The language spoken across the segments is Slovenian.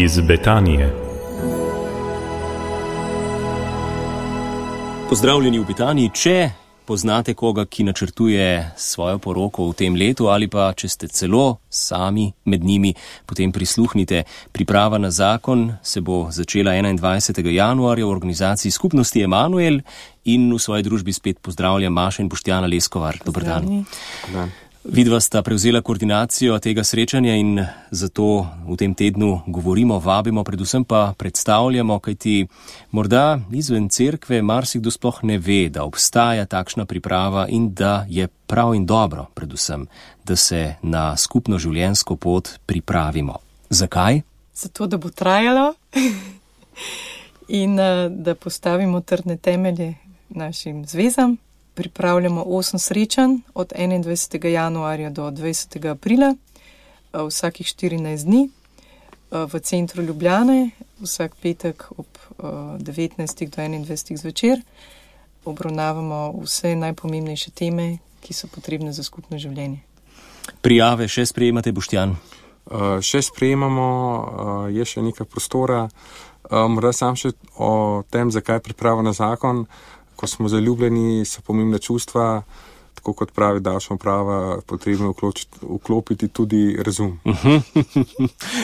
iz Betanije. Pozdravljeni v Betaniji. Če poznate koga, ki načrtuje svojo poroko v tem letu, ali pa če ste celo sami med njimi, potem prisluhnite. Priprava na zakon se bo začela 21. januarja v organizaciji Skupnosti Emanuel in v svoji družbi spet pozdravljam Maša in Boštjana Leskovar. Dober dan. Vidva sta prevzela koordinacijo tega srečanja in zato v tem tednu govorimo, vabimo, predvsem pa predstavljamo, kajti morda izven cerkve marsikdo sploh ne ve, da obstaja takšna priprava in da je prav in dobro, predvsem, da se na skupno življenjsko pot pripravimo. Zakaj? Zato, da bo trajalo in da postavimo trdne temelje našim zvezam. Pripravljamo 8 srečanj od 21. januarja do 20. aprila, vsakih 14 dni v centru Ljubljane, vsak petek ob 19. do 21. zvečer. Obravnavamo vse najpomembnejše teme, ki so potrebne za skupno življenje. Prijave še sprejemate, Boštjan? Še sprejemamo, je še nekaj prostora. Morda sam še o tem, zakaj priprava na zakon. Ko smo zaljubljeni, so pomembna čustva, tako kot pravi davčna uprava, potrebno vklopiti tudi razum.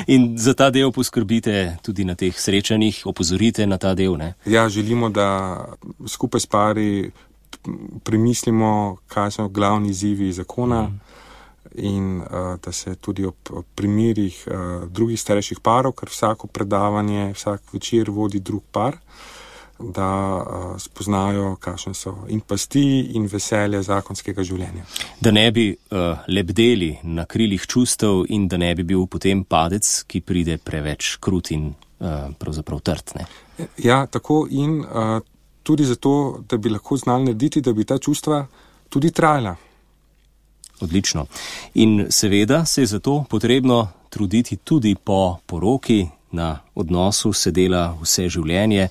In za ta del poskrbite tudi na teh srečanjih, opozorite na ta del, ne? Ja, želimo, da skupaj s pari premislimo, kaj so glavni izzivi zakona in da se tudi ob primerih drugih starejših parov, ker vsako predavanje, vsak večer vodi drug par, da spoznajo, kakšne so in pasti in veselje zakonskega življenja. Da ne bi lebdeli na krilih čustev in da ne bi bil potem padec, ki pride preveč krut in pravzaprav trd, ne? Ja, tako in tudi zato, da bi lahko znali narediti, da bi ta čustva tudi trajala. Odlično. In seveda se je zato potrebno truditi tudi po poroki. Na odnosu se dela vse življenje,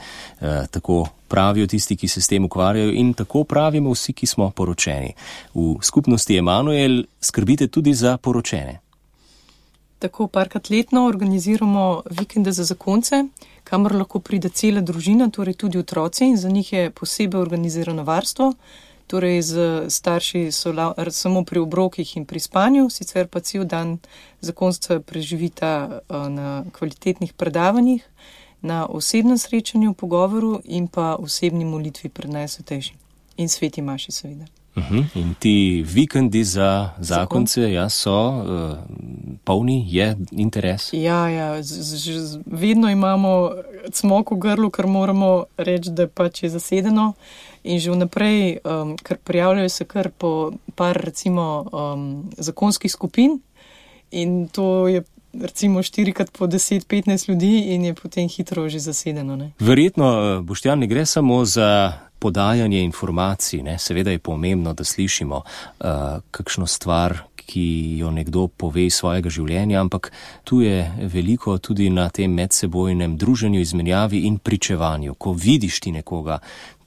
tako pravijo tisti, ki se s tem ukvarjajo in tako pravimo vsi, ki smo poročeni. V skupnosti Emanuel skrbite tudi za poročene. Tako parkrat letno organiziramo vikende za zakonce, kamor lahko pride cela družina, torej tudi otroci, in za njih je posebej organizirano varstvo. Torej z starši so samo pri obrokih in pri spanju, sicer pa cel dan zakonca preživita na kvalitetnih predavanjih, na osebnem srečanju, pogovoru in pa osebni molitvi pred Najsvetejšim. In sveti maši seveda. In ti vikendi za zakonce, ja, so polni, je interes? Ja, vedno imamo cmok v grlu, ker moramo reči, da pač je zasedeno. In že vnaprej, ker prijavljajo se kar po par, recimo, zakonskih skupin in to je recimo 4x po 10-15 ljudi in je potem hitro že zasedeno, ne? Verjetno, Boštjan, ne gre samo za podajanje informacij, ne? Seveda je pomembno, da slišimo kakšno stvar, ki jo nekdo pove iz svojega življenja, ampak tu je veliko tudi na tem medsebojnem druženju, izmenjavi in pričevanju. Ko vidiš ti nekoga,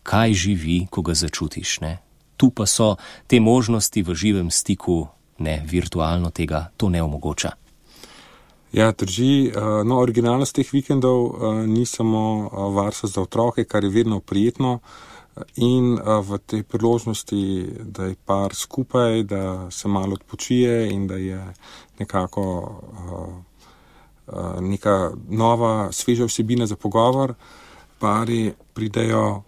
kaj živi, ko ga začutiš, ne? Tu pa so te možnosti v živem stiku, ne, virtualno tega, to ne omogoča. Ja, drži. No, originalnost teh vikendov ni samo varstvo za otroke, kar je vedno prijetno in v tej priložnosti, da je par skupaj, da se malo odpočije in da je nekako neka nova, sveža vsebina za pogovor. Pari pridejo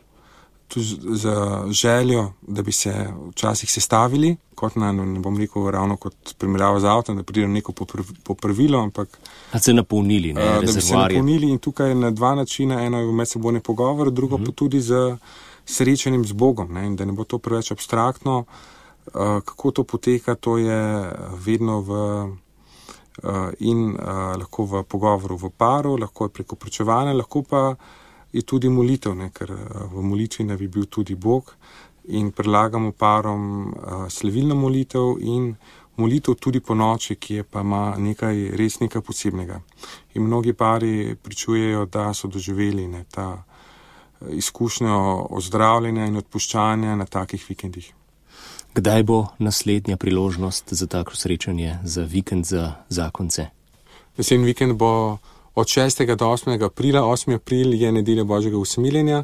za željo, da bi se včasih sestavili, kot ne bom rekel ravno kot primerjava z avtom, da pridejo neko popravilo, ampak da se napolnili, ne, rezervoarje. Da bi se napolnili in tukaj na dva načina, eno je medsebojni pogovor, drugo pa tudi z srečanjem z Bogom, ne, in da ne bo to preveč abstraktno. Kako to poteka, to je vedno lahko v pogovoru v paru, lahko je preko pričevanja, lahko pa je tudi molitev, ne, ker v molitvi naj bi bil tudi Bog in predlagamo parom slavilno molitev in molitev tudi po noči, ki je pa ima res nekaj posebnega. In mnogi pari pričujejo, da so doživeli, ne, ta izkušnjo ozdravljenja in odpuščanja na takih vikendih. Kdaj bo naslednja priložnost za tako srečanje, za vikend za zakonce? Naslednji vikend bo od 6. do 8. aprila. 8. april je nedelja Božjega usmiljenja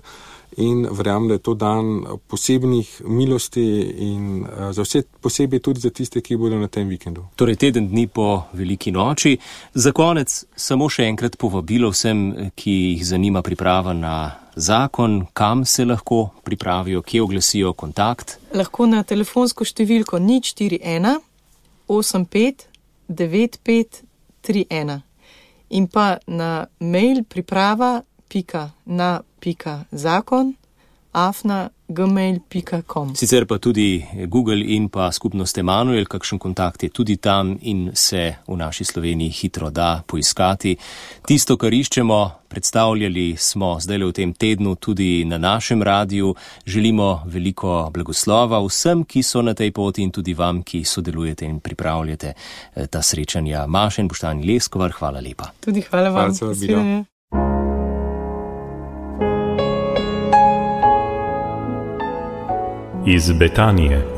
in verjamem, da je to dan posebnih milosti in za vse posebej tudi za tiste, ki bodo na tem vikendu. Torej teden dni po veliki noči. Za konec samo še enkrat povabilo vsem, ki jih zanima priprava na zakon, kam se lahko pripravijo, kje oglasijo kontakt. Lahko na telefonsko številko 041 85 95 31 in pa na mail priprava.na.zakon@gmail.com. Sicer pa tudi Google in pa skupnost Emanuel, kakšen kontakt je tudi tam in se v naši Sloveniji hitro da poiskati. Tisto, kar iščemo, predstavljali smo zdaj v tem tednu tudi na našem radiju. Želimo veliko blagoslova vsem, ki so na tej poti in tudi vam, ki sodelujete in pripravljate ta srečanja. Maša in Boštjan Leskovar, hvala lepa. Tudi hvala vam. Iz Betanije.